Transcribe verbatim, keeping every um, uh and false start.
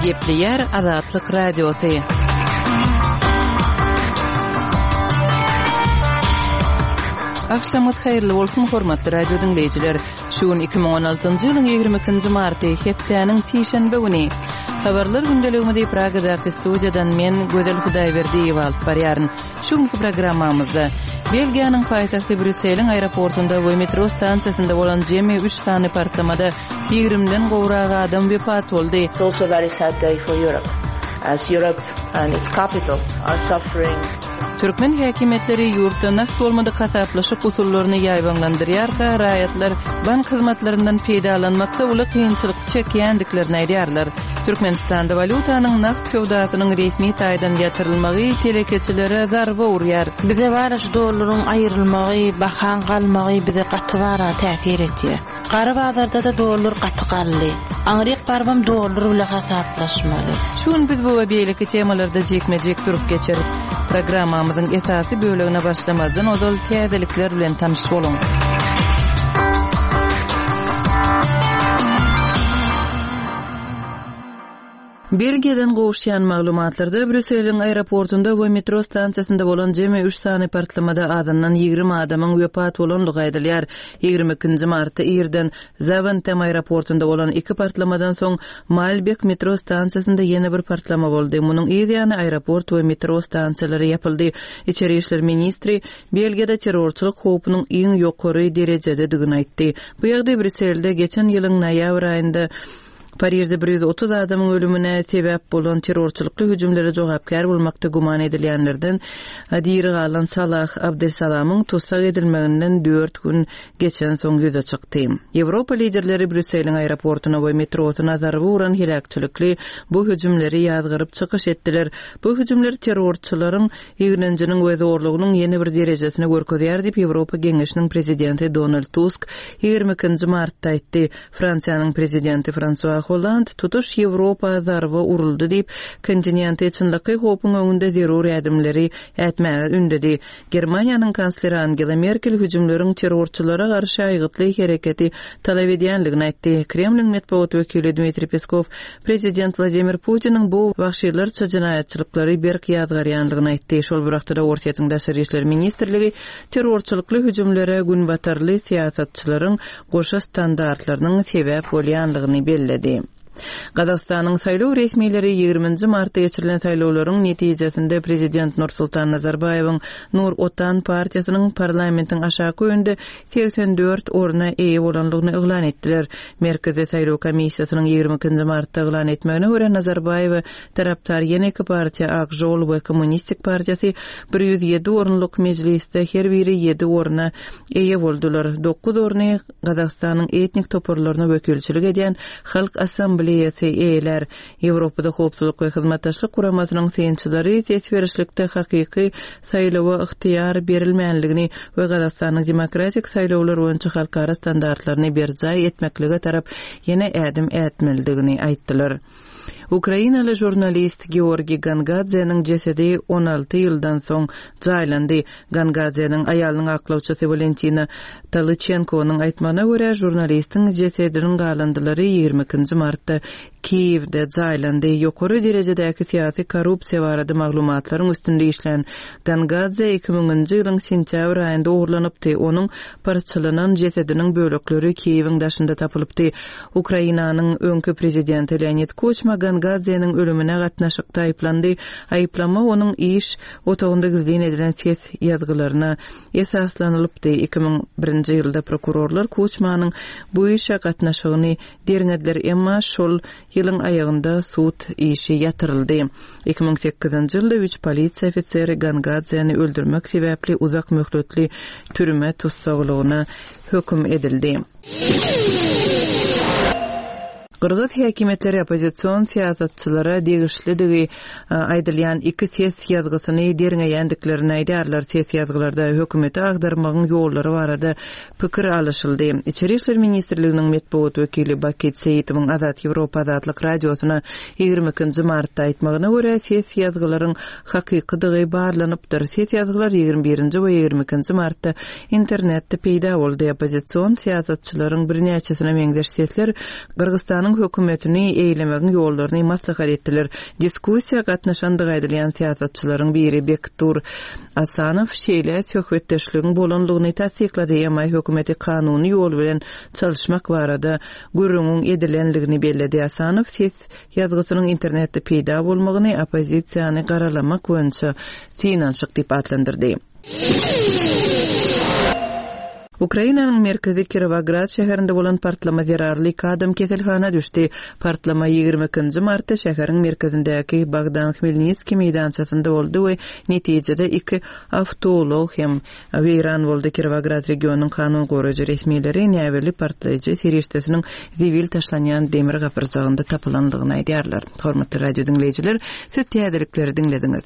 Gepleýär Azatlyk Radiosy. Agşamyňyz haýyrly bolsun, hormatly radio diňleýjiler. Şu gün iki müň on altynjy ýylyň ýigrimi ikinji marty, hepdäniň sişenbe güni. Habarlar gündeligimizi Pragadaky studiýadan men, Gözel Hudaýberdiýewa alyp barýaryn. Şu günki programmamyzda Belgiýanyň paýtagty Brýusseliň aeroportunda we metro stansiýasynda bolan jemi üç sany partlamada ýigrimden gowrak adam wepat boldy. It's also very sad day for Europe, as Europe and its capital are suffering. Türkmen häkimiýetleri ýurtda nagt bolmadyk hasaplaşyk usullaryny ýaýbaňlandyrýarka, raýatlar bank hyzmatlaryndan peýdalanmakda uly kynçylyk çekýändiklerini aýdýarlar. Türkmenistanda walýutanyň nagt söwdasynyň resmi taýdan ýatyrylmagy telekeçilere zarba urýar. Bize bara şu dollaryň aýrylmagy, bahaň galmagy bize gaty bara täsir etýär. Gara bazarda da dollar gaty galdy. Aňryk barbam dollar bile hasaplaşmaly. Şu gün biz bu we beýleki temalarda jikme-jik durup geçeris. Programmamyzyň esasy bölegine başlamazdan ozal täzelikler bilen tanyş boluň. Belgiýadan gowuşýan maglumatlarda Brýusseliň aeroportunda we metro stansiýasynda bolan jemi üç sany partlamada azyndan ýigrimi adamyň wepat bolandygy aýdylýar. Ýigrimi ikinji martda irden Zaventem aeroportunda bolan iki partlamadan soň Malbek metro stansiýasynda ýene bir partlama boldy. Munuň yz ýany aeroport we metro stansiýalary ýapyldy. Içeri işler ministri Belgiýada terrorçylyk howpunyň iň ýokary derejededigini aýtdy. Bu ýagdaý Brýusselde geçen ýylyň noýabr aýynda Parijde bir ýüz otuz adamyň ölümine sebäp bolan terrorçylykly hüjümlere jogapkär bolmakda güman edilýänlerden diri galan Salah Abdelsalamyň tussag edilmeginden dört gün geçen soň ýüze çykdy. Ýewropa liderleri Brýusseliň aeroportuna we metrosyna zarba uran heläkçilikli bu hüjümleri ýazgaryp çykyş etdiler. Bu hüjümler terrorçylaryň ýigrenjiniň we zorlugynyň ýene bir derejesini görkezýär diýip Ýewropa Geňeşiniň prezidenti Donald Tusk ýigrimi ikinji martda aýtdy. Fransiýanyň prezidenti François Hollande tutuş Ýewropa zarba uruldy diýip kontinenti çynlakaý howpuň öňünde zerur ädimleri ätmäge ündedi. Germaniýanyň kansleri Angela Merkel hüjümleriň terrorçylara garşy aýgytly hereketi talap edýänligini aýtdy. Kremliň metbugat wekili Dmitriý Peskov prezident Wladimir Putiniň bu wagşylarça jenaýatçylyklary berk ýazgarýanlygyny aýtdy. Şol bir wagtda Orsýetiň Daşary işler ministrligi terrorçylykly hüjümlere günbatarly syýasatçylaryň goşa standartlarynyň sebäp bolýanlygyny belledi. Gazagystanyň saýlaw resmileri ýigriminji martda geçirilen saýlawlaryň netijesinde prezident Nursultan Nazarbaýewiň Nur Otan partiýasynyň parlamentiň aşaky öýünde segsen dört orna eýe bolanlygyny yglan etdiler. Merkezi saýlaw komissiýasynyň ýigrimi ikinji martda yglan etmegine görä Nazarbaýewe tarapdar ýene iki partiýa Ak Žol we Kommunistik partiýasy bir ýüz ýedi orunlyk mejlisde her biri ýedi orna eýe boldular. Dokuz orny Gazagystanyň etnik toparlaryna wekilçilik edýän Halk Assambleýasy eýeler. Ýewropada howpsuzlyk we hyzmatdaşlyk guramasynyň synçylary ses berişlikde hakyky saýlawa ygtyýar berilmänligini we Gazagystanyň demokratik saýlawlar boýunça halkara standartlaryny berjaý etmeklige tarap ýene ädim ätmelidigini aýtdylar. Ukrainaly žurnalist Georgiy Gangadzeniň jesedi on alty ýyldan soň jaýlandy. Gangadzeniň aýalynyň aklawçysy Valentina Talychenkonyň aýtmagyna görä žurnalistiň jesediniň galyndylary ýigrimi ikinji martda Kiýewde jaýlandy. Ýokary derejedäki syýasy korrupsiýa barada maglumatlaryň üstünde işlän Gangadze iki müňünji ýylyň sentýabr aýynda ogurlanypdy. Onuň parçalanan jesediniň bölekleri Kiýewiň daşynda tapylypdy. Ukrainanyň öňki prezidenti Leonid Kuçma Gangadzeniň ölümine gatnaşykda aýyplandy. Aýyplama onuň iş otagynda gizlin edilen ses ýazgylaryna esaslanylypdy. Iki müň birinji ýylda prokurorlar Kuçmanyň bu işe gatnaşygyny derňediler, emma şol ýylyň aýagynda sud işi ýatyryldy. Iki müň sekizinji ýylda üç polisiýa ofiseri Gangadzeni öldürmek sebäpli uzak möhletli türme tussaglygyna höküm edildi. Gyrgyz häkimiýetleri oppozision syýasatçylara degişlidigi, e, aýdylýan iki ses ýazgysyny derňeýändiklerini aýdýarlar. Ses ýazgylarda hökümeti agdarmagyň ýollary barada pikir alyşyldy. Içeri işler ministrliginiň metbugat wekili Bakit Seýitowyň Azat Ýewropa Azatlyk radiosyna ýigrimi ikinji martda aýtmagyna görä ses ýazgylaryň hakykydygy barlanypdyr. Ses ýazgylar ýigrimi birinji we ýigrimi ikinji martda internetde peýda boldy. Oppozision syýasatçylaryň birnäçesine meňzeş sesler Gyrgyzystanyň Oppozisiýanyň hökümetini eýlemegiň ýollaryny maslahat etdiler. Diskussiýa gatnaşandygy aýdylýan syýasatçylaryň biri Bektur Asanow şeýle söhbetdeşligiň bolandygyny tassyklady, emma hökümeti kanuny ýol bilen çalyşmak barada gürrüňiň edilendigini belledi. Asanow ses ýazgysynyň internetde peýda bolmagyny oppozisiýany garalamak boýunça synanyşyk diýip atlandyrdy. Ukrainanyň merkezi Kirowograd şäherinde bolan partlama zerarly iki adam keselhana düşdi. Partlama ýigrimi ikinji martda şäheriň merkezindäki Bogdan Hmelnitskiý meýdançasynda boldy we netijede iki awtoulag hem weýran boldy. Kirowograd regionynyň kanun goraýjy resmileri näbelli partlaýjy serişdesiniň zibil taşlanýan demir gapyrjagynda tapylandygyny aýdýarlar. Hormatly radio diňleýjiler, siz täzelikleri diňlediňiz.